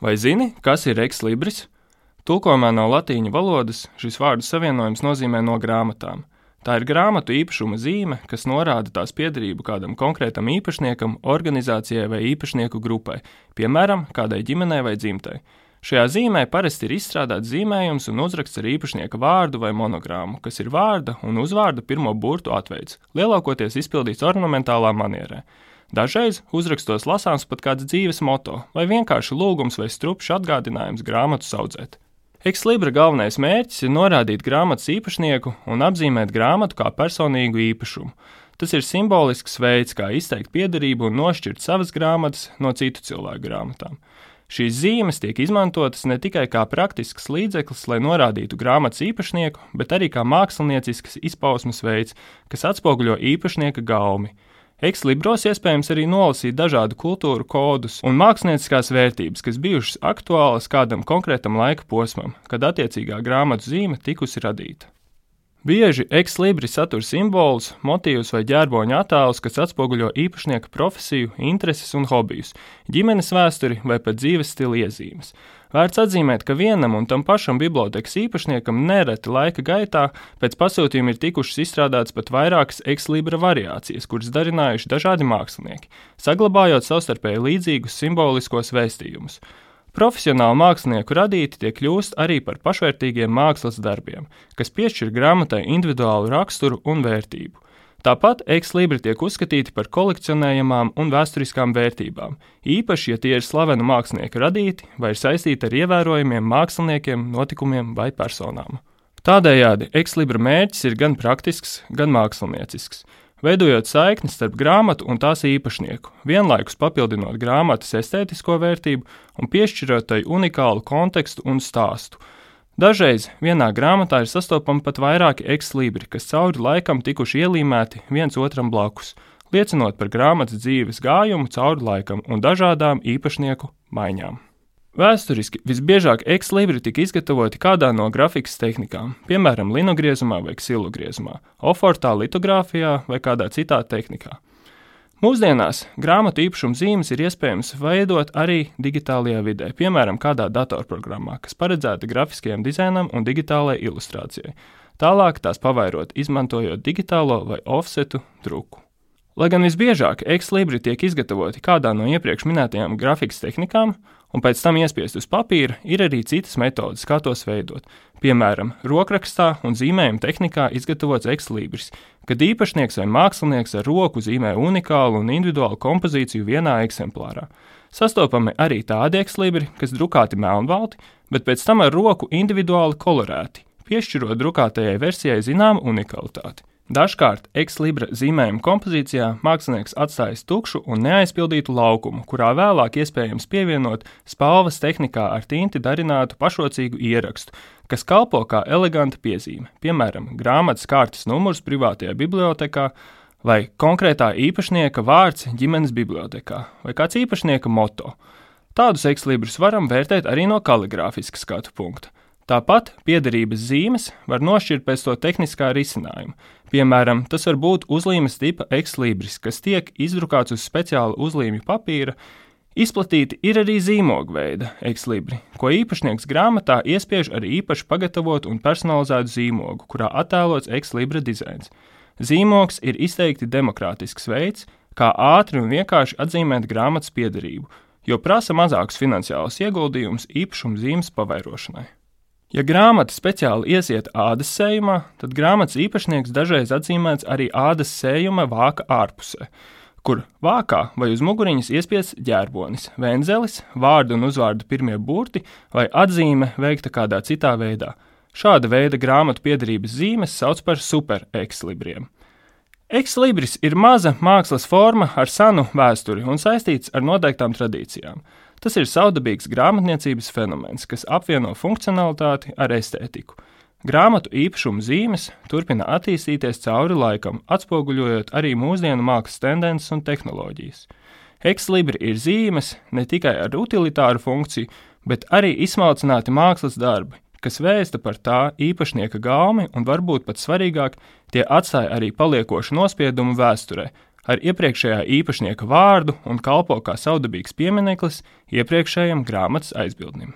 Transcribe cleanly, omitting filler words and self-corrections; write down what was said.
Vai zini, kas ir ex libris? Tulkojumā no latīņu valodas šis vārdu savienojums nozīmē no grāmatām. Tā ir grāmatu īpašuma zīme, kas norāda tās piederību kādam konkrētam īpašniekam, organizācijai vai īpašnieku grupai, piemēram, kādai ģimenei vai dzimtai. Šajā zīmē parasti ir izstrādāts zīmējums un uzraksts ar īpašnieka vārdu vai monogrāmu, kas ir vārda un uzvārda pirmo burtu atveids, lielākoties izpildīts ornamentālā manierē. Dažreiz uzrakstos lasāms pat kāds dzīves moto vai vienkārši lūgums vai strupšs atgādinājums grāmatu audzēt. Ex libra galvenais mērķis ir norādīt grāmatas īpašnieku un apzīmēt grāmatu kā personīgu īpašumu. Tas ir simbolisks veids, kā izteikt piederību un nošķirt savas grāmatas no citu cilvēku grāmatām. Šīs zīmes tiek izmantotas ne tikai kā praktisks līdzeklis, lai norādītu grāmatas īpašnieku, bet arī kā māksliniecisks izpausmes veids, kas atspoguļo īpašnieka gaumi. Ex libros iespējams arī nolasīt dažādu kultūru kodus un mākslinieckās vērtības, kas bijušas aktuālas kādam konkrētam laika posmam, kad attiecīgā grāmatu zīme tikusi radīta. Bieži ex libri satur simbolus, motīvus vai ģērboņa attēlus, kas atspoguļo īpašnieka profesiju, intereses un hobijus, ģimenes vēsturi vai pat dzīves stila iezīmes. Vērts atzīmēt, ka vienam un tam pašam bibliotekas īpašniekam nereti laika gaitā pēc pasūtījuma ir tikušas izstrādātas pat vairākas ex libra variācijas, kuras darinājuši dažādi mākslinieki, saglabājot savstarpēji līdzīgus simboliskos vēstījumus. Profesionāli mākslinieku radīti tie kļūst arī par pašvērtīgiem mākslas darbiem, kas piešķir grāmatai individuālu raksturu un vērtību. Tāpat ex libri tiek uzskatīti par kolekcionējamām un vēsturiskām vērtībām, īpaši, ja tie ir slavenu mākslinieku radīti vai ir saistīti ar ievērojamiem māksliniekiem, notikumiem vai personām. Tādējādi ex libra mērķis ir gan praktisks, gan māksliniecisks, veidojot saikni starp grāmatu un tās īpašnieku, vienlaikus papildinot grāmatas estētisko vērtību un piešķirot tai unikālu kontekstu un stāstu. Dažreiz vienā grāmatā ir sastopami pat vairāki ex libri, kas cauri laikam tikuši ielīmēti viens otram blakus, liecinot par grāmatas dzīves gājumu cauri laikam un dažādām īpašnieku maiņām. Vēsturiski visbiežāk ex libri tika izgatavoti kādā no grafikas tehnikām, piemēram, linogriezumā vai ksilogriezumā, ofortā, litogrāfijā vai kādā citā tehnikā. Mūsdienās grāmatu īpašuma zīmes ir iespējams veidot arī digitālajā vidē, piemēram, kādā datorprogrammā, kas paredzēta grafiskajam dizainam un digitālajai ilustrācijai. Tālāk tās pavairot, izmantojot digitālo vai offsetu druku. Lai gan visbiežāk ex libri tiek izgatavoti kādā no iepriekš minētajām grafikas tehnikām un pēc tam iespiest uz papīra, ir arī citas metodes, kā tos veidot. Piemēram, rokrakstā un zīmējuma tehnikā izgatavots ex libris, kad īpašnieks vai mākslinieks ar roku zīmē unikālu un individuālu kompozīciju vienā eksemplārā. Sastopami arī tādi ex libri, kas drukāti melnbalti, bet pēc tam ar roku individuāli kolorēti, piešķirot drukātajai versijai zināmu unikalitāti. Dažkārt ex libra zīmējuma kompozīcijā mākslinieks atstājas tukšu un neaizpildītu laukumu, kurā vēlāk iespējams pievienot spalvas tehnikā ar tinti darinātu pašrocīgu ierakstu, kas kalpo kā eleganta piezīme, piemēram, grāmatas kārtas numurs privātajā bibliotekā vai konkrētā īpašnieka vārds ģimenes bibliotekā vai kāds īpašnieka moto. Tādus ex librus varam vērtēt arī no kaligrāfiska skatu punkta. Tāpat piederības zīmes var nošķirt pēc to tehniskā risinājuma. Piemēram, tas var būt uzlīmes tipa ex libris, kas tiek izdrukāts uz speciāla uzlīmju papīra. Izplatīti ir arī zīmogu veida ex libri, ko īpašnieks grāmatā iespiež ar īpaši pagatavotu un personalizētu zīmogu, kurā attēlots ex libra dizains. Zīmogs ir izteikti demokrātisks veids, kā ātri un vienkārši atzīmēt grāmatas piederību, jo prasa mazākus finansiālus ieguldījumus īpašuma zīmes pavairošanai. Ja grāmata speciāli iesiet ādas sējumā, tad grāmatas īpašnieks dažreiz atzīmēts arī ādas sējuma vāka ārpusē, kur vākā vai uz muguriņas iespiests ģērbonis, venzelis, vārdu un uzvārdu pirmie burti vai atzīme veikta kādā citā veidā. Šāda veida grāmatu piederības zīmes sauc par super ex libriem. Ex libris ir maza mākslas forma ar senu vēsturi un saistīts ar noteiktām tradīcijām. Tas ir savdabīgs grāmatniecības fenomens, kas apvieno funkcionalitāti ar estētiku. Grāmatu īpašuma zīmes turpina attīstīties cauri laikam, atspoguļojot arī mūsdienu mākslas tendences un tehnoloģijas. Ex libri ir zīmes ne tikai ar utilitāru funkciju, bet arī izsmalcināti mākslas darbi, kas vēsta par tā īpašnieka gaumi un varbūt pat svarīgāk, tie atstāja arī paliekošu nospiedumu vēsturē, ar iepriekšējā īpašnieka vārdu un kalpo kā savdabīgs piemineklis iepriekšējam grāmatas aizbildnim.